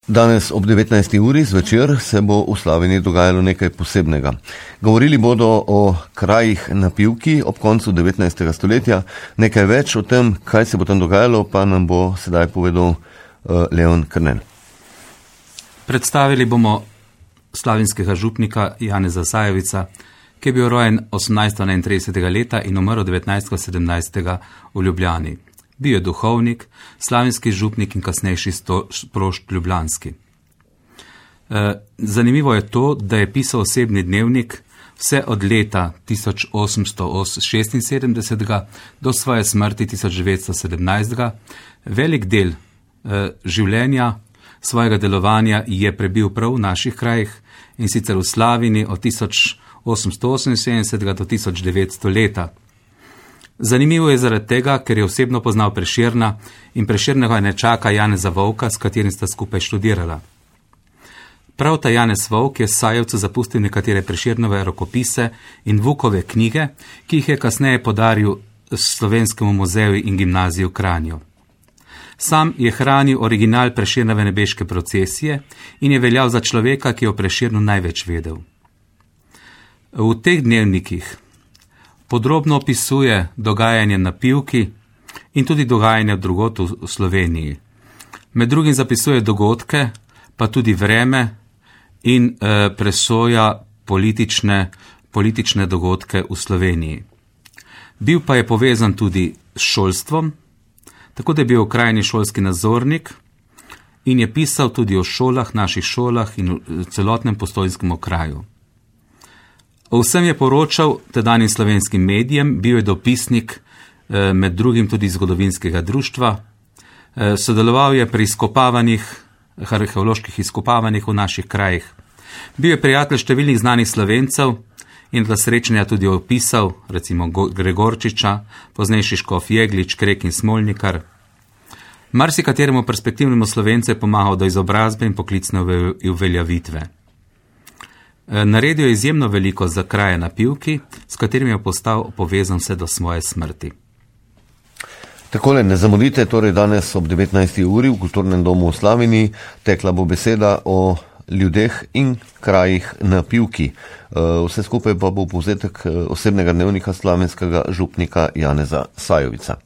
Danes ob 19. uri zvečer se bo v Slavini dogajalo nekaj posebnega. Govorili bodo o krajih na Pivki ob koncu 19. stoletja. Nekaj več o tem, kaj se bo tam dogajalo, pa nam bo sedaj povedal Leon Krnen. Predstavili bomo slavinskega župnika Janeza Sajovica, ki je bil rojen 1831. leta in umrl 1917. v Ljubljani. Bil je duhovnik, slavinski župnik in kasnejši sprošt ljubljanski. Zanimivo je to, da je pisal osebni dnevnik vse od leta 1876 do svoje smrti 1917. Velik del življenja, svojega delovanja je prebil prav v naših krajih in sicer v Slavini od 1878 do 1900 leta. Zanimivo je zaradi tega, ker je osebno poznal Prešerna in Prešernega nečaka Janeza Volka, s katerim sta skupaj študirala. Prav ta Janez Volk je Sajevcu zapustil nekatere Prešernove rokopise in Vukove knjige, ki jih je kasneje podaril Slovenskemu muzeju in gimnaziji v Kranju. Sam je hranil original Prešernove nebeške procesije in je veljal za človeka, ki je o Prešernu največ vedel. V teh dnevnikih podrobno opisuje dogajanje na Pivki in tudi dogajanje drugod v Sloveniji. Med drugim zapisuje dogodke, pa tudi vreme in presoja politične dogodke v Sloveniji. Bil pa je povezan tudi s šolstvom, tako da je bil v krajni šolski nadzornik in je pisal tudi o šolah, naših šolah in v celotnem Postojnskem okraju. O vsem je poročal tedanjim slovenskim medijem, bil je dopisnik med drugim tudi zgodovinskega društva, sodeloval je pri arheoloških izkopavanjih v naših krajih. Bil je prijatelj številnih znanih Slovencev in ta srečanja tudi opisal, recimo Gregorčiča, poznejši škof Jeglič, Krek in Smolnikar. Marsikateremu perspektivnemu Slovencu je pomagal do izobrazbe in poklicne uveljavitve. Naredil je izjemno veliko za kraje na Pivki, s katerim je postal povezan vse do svoje smrti. Takole, ne zamudite, torej danes ob 19. uri v Kulturnem domu v Slavini tekla bo beseda o ljudeh in krajih na Pivki. Vse skupaj pa bo povzetek osebnega dnevnika slavenskega župnika Janeza Sajovica.